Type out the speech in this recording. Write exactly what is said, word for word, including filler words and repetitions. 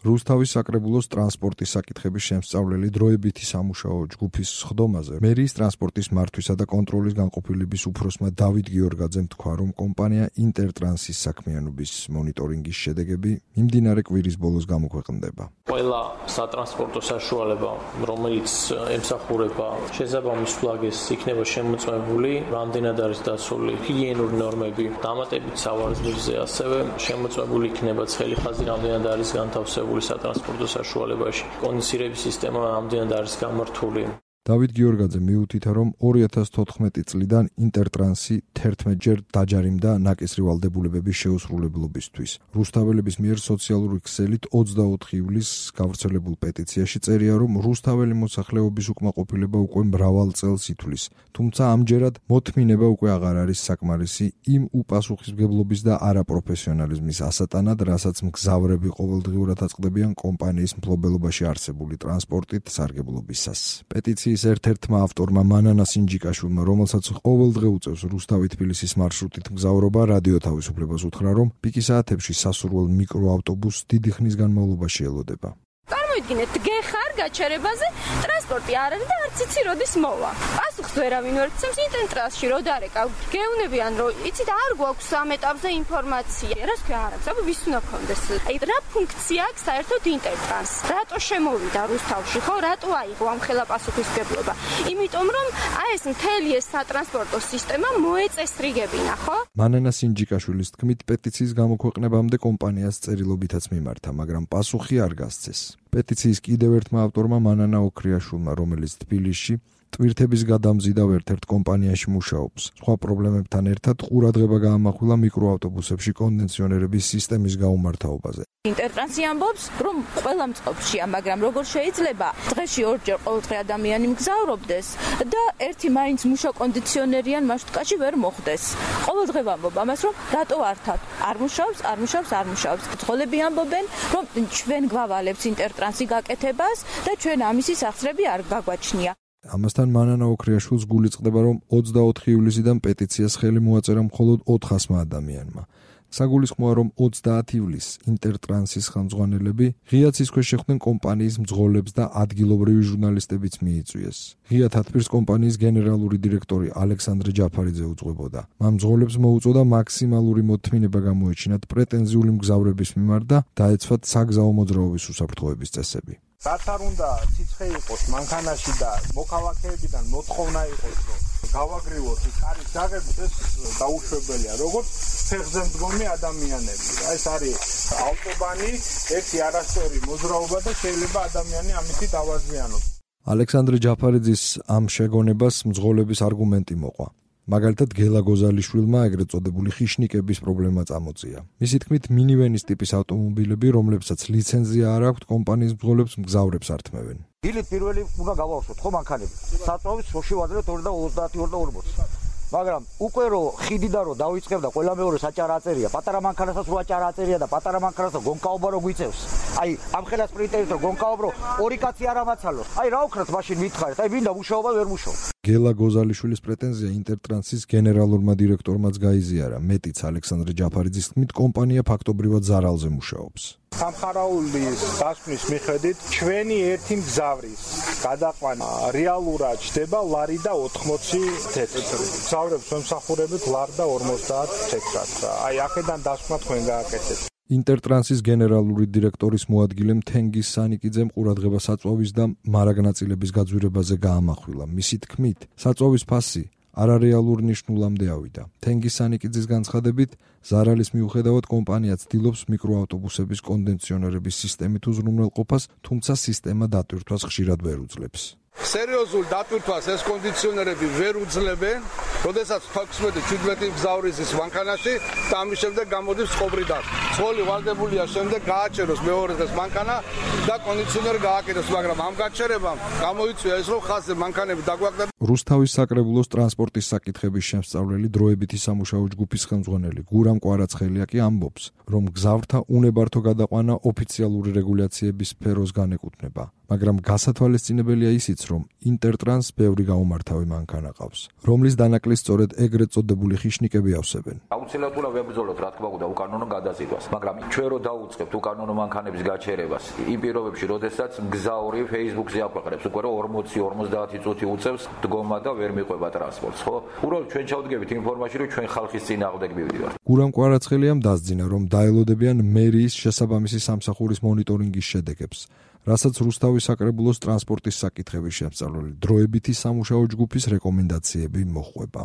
რუსთავის საკრებულოს ტრანსპორტის საკითხების შემსწავლელი დროებითი სამუშაო ჯგუფის სხდომაზე მერიის ტრანსპორტის მართვისა და კონტროლის განყოფილების უფროსმა დავით გიორგაძემ თქვა, რომ კომპანია ინტერტრანსის საქმიანობის მონიტორინგის შედეგები მიმდინარე კვირის ბოლოს გამოქვეყნდება. ყველა სატრანსპორტო საშუალება, რომელიც ემსახურება შესაბამის ფლაგეს, იქნება შემოწმებული, რამდენად არის დაცული ჰიგიენური ნორმები, დამატებით სავარისმირზე, ასევე შემოწმებული იქნება ცხელი ხაზი, რამდენად არის განთავსებული სატრანსპორტო საშუალებაში. კონდიცირების სისტემა ამდენად არის გამართული. დავით გიორგაძე მიუთითა, რომ ორი ათას თოთხმეტი წლიდან ინტერტრანსი თერთმეტჯერ დაჯარიმდა ნაკისრი ვალდებულებების შეუსრულებლობისთვის. რუსთაველების მიერ სოციალური ქსელით ოცდაოთხი ივლისს გავრცელებულ პეტიციაში წერია, რომ რუსთაველი მოსახლეობის უკმაყოფილება უკვე მრავალ წელს ითვლის, თუმცა ამჯერად მოთმინება უკვე აღარ არის საკმარისი იმ უპასუხისმგებლობის და არაპროფესიონალიზმის ასატანად, რასაც მგზავრები ყოველდღიურად აწყდებიან კომპანიის მფლობელობაში არსებული ტრანსპორტით სარგებლობისას. პეტიციის ერთ-ერთმა ავტორმა მანანა სინჯიკაშვილმა, რომელსაც ყოველდღე უწევს რუსთავი-თბილისის მარშრუტით მგზავრობა, რადიო თავისუფლებას უთხრა, რომ პიკი საათებში სასურველ მიკროავტობუსს დიდი ხნის განმავლობაში ელოდება. წარმოიდგინეთ, გეხარ გაჩერებაზე, ტრანსპორტი არ არის და არც იცი როდის მოვა. პასუხს ვერავინ ვერ გცემს, ინტერტრანსში რო დარეკა, გეუნებიან, რომ იცით არ გვაქვს ამ ეტაპზე ინფორმაცია. რას ქვია არ აქვს, აბა ვის უნდა გქონდეს? აი რა ფუნქცია აქვს საერთოდ ინტერტრანსს? რატო შემოვიდა რუსთავში, ხო? რატო აიღო ამ ხელა პასუხისმგებლობა? იმიტომ რომ აი ეს მთელი ეს სატრანსპორტო სისტემა მოეწესრიგებინა, ხო? მანანა სინჯიკაშვილის თქმით, პეტიციის გამოქვეყნებამდე კომპანიას წერილობითაც მიმართა, მაგრამ პასუხი არ გასცეს. პეტიციის კიდევ ერთმა ავტორმა მანანა ოქრიაშვილმა, რომელიც თბილისში ტვირთების გადამზიდავ ერთ-ერთ კომპანიაში მუშაობს. სხვა პრობლემებთან ერთად ყურადღება გაამახვილა მიკროავტობუსებში კონდიციონერების სისტემის გაუმართავობაზე. ინტერტრანსი ამბობს, რომ ყველა მწყობრშია, მაგრამ როგორ შეიძლება დღეში ორჯერ ყოველდღე ადამიანი მგზავრობდეს და ერთი მაინც მუშა კონდიციონერიან მარშრუტკაში ვერ მოხვდეს. ყოველდღე ვამბობ ამას, რომ რატო ართ? არ მუშაობს, არ მუშაობს, არ მუშაობს. ძღოლები ამბობენ, რომ ჩვენ გვავალებთ ინტერტრანსი გაკეთებას და ჩვენ ამისი სახსრები არ გაგვაჩნია. ამასთან მანანა ოქრიაშვილს გული წყდება, რომ ოცდაოთხი ივლისიდან პეტიციას ხელი მოაწერა მხოლოდ ოთხასმა ადამიანმა. საგულისხმოა, რომ ოცდაათი ივლისს ინტერტრანსის ხელმძღვანელები ღია ცისქვეშ შეხვდნენ კომპანიის მძღოლებს და ადგილობრივი ჟურნალისტებიც მიიწვიეს. ღია თათბირს კომპანიის გენერალური დირექტორი ალექსანდრე ჯაფარიძე უძღვებოდა. მან მძღოლებს მოუწოდა მაქსიმალური მოთმინება გამოეჩინათ პრეტენზიული მგზავრების მიმართ და დაეცვათ საგზაო მოძრაობის უსაფრთხოების წესები. რაც არ უნდა ციცხე იყოს მანქანაში და მოქალაქეებიდან მოთხოვნა იყოს, რომ გავაგრივოთ კარის დაღებით, ეს დაუშვებელია, როგორც ფეხზე მდგომი ადამიანები. ეს არის ავტობანი, ერთი არასწორი მოძრაობა და შეიძლება ადამიანი ამით დავაზიანოს. ალექსანდრე ჯაფარიძის ამ შეგონებას მძღოლების არგუმენტი მოყვა. მაგალითად, გელა გოზალიშვილმა ეგრეთ წოდებული ხიშნიკების პრობლემა წამოწია. მისი თქმით, მინივენის ტიპის ავტომობილები, რომლებსაც ლიცენზია არ აქვთ, კომპანიის მძღოლებს მგზავრებს ართმევენ. დილით პირველი უნდა გავავსოთ ხო მანქანები. საწვავის სოში ვაძლევთ ორი და ოცდაათი ორი და ორმოცი. მაგრამ უკვე რო ხიდიდან რო დავიწყებდა ყველა მეორე საჭარა აწერია, პატარა მანქანასაც რო აჭარა აწერია და პატარა მანქანასაც გონკაობა რო გვიწევს. აი, ამ ხელას პრინტერით რო გონკაობ რო ორი კაცი არ ამაცალოს. აი, რა უქნათ მაშინ მითხარით? აი, ვინდა მუშაობა ვერ მუშაობს. გელა გოზალიშვილის პრეტენზია ინტერტრანსის გენერალურმა დირექტორმაც გაიზიარა. მეტიც ალექსანდრე ჯაფარიძის თქმით, კომპანია ფაქტობრივად ზარალზე მუშაობს. სამხარაულის დასკვნის მიხედვით, ჩვენი ერთი მგზავრის გადაყვანა რეალურად ჩდება ლარი და ოთხმოცი თეთრი. მგზავრებს ვემსახურებით ლარი და ორმოცდაათ თეთრად. აი, აქედან დასკვნა თქვენ გააკეთეთ. ინტერტრანსის გენერალური დირექტორის მოადგილემ თენგიზ სანიკიძემ ყურადღება საწვავის და მარაგნაწილების გაძვირებაზე გაამახვილა. მისი თქმით, საწვავის ფასი არარეალურ ნიშნულამდე ავიდა. თენგიზ სანიკიძის განცხადებით, ზარალის მიუხედავად კომპანია ცდილობს მიკროავტობუსების კონდიციონერების სისტემით უზრუნველყოფას, თუმცა სისტემა დატვირთვას ხშირად ვერ უძლებს. სერიოზულ დატვირთვას ეს კონდიციონერები ვერ უძლებენ, როდესაც თექვსმეტი შვიდმეტი მგზავრი ზის მანქანაში და ამის შემდეგ გამოდის წყობრიდან. ცხოველი ვალდებულია შემდეგ გააჩეროს მეორე დღეს მანქანა და კონდიციონერი გააკეთოს, მაგრამ ამ გაჩერებამ გამოიწვია ეს, რომ ხაზზე მანქანები დაგვაკლდა. რუსთავის საკრებულოს ტრანსპორტის საკითხების შემსწავლელი დროებითი სამუშაო ჯგუფის ხელმძღვანელი გურამ კვარაცხელია კი ამბობს, რომ მგზავრთა უნებართო გადაყვანა ოფიციალური რეგულაციების სფეროს განეკუთვნება. მაგრამ გასათვალისწინებელია ისიც, რომ ინტერტრანს ბევრი გაუმართავი მანქანა ყავს, რომლის დანაკლისს სწორედ ეგრეთ წოდებული ხიშნიკები ავსებენ. აუცილებლად უნდა ვებრძოლოთ, რა თქმა უნდა, უკანონო გადაზიდვას, მაგრამ ჩვენ რო დაუწყებთ უკანონო მანქანების გაჩერებას, იმ პირობებში, როდესაც მგზავრი Facebook-ზე აქვეყნებს, უკვე რომ ორმოცი ორმოცდაათი წუთი უწევს დგომა და ვერ მიყვება ტრანსპორტს, ხო? უბრალოდ ჩვენ ჩავდგებით იმ ფორმაში, რომ ჩვენ ხალხის წინააღმდეგ მივდივართ. გურამ კვარაცხელიამ დასძინა, რომ დაელოდებიან მერიის შესაბამისი სამსახურის მონიტორინგის შედეგებს, რასაც რუსთავის საკრებულოს ტრანსპორტის საკითხების შემსწავლელი დროებითი სამუშაო ჯგუფის რეკომენდაციები მოჰყვება.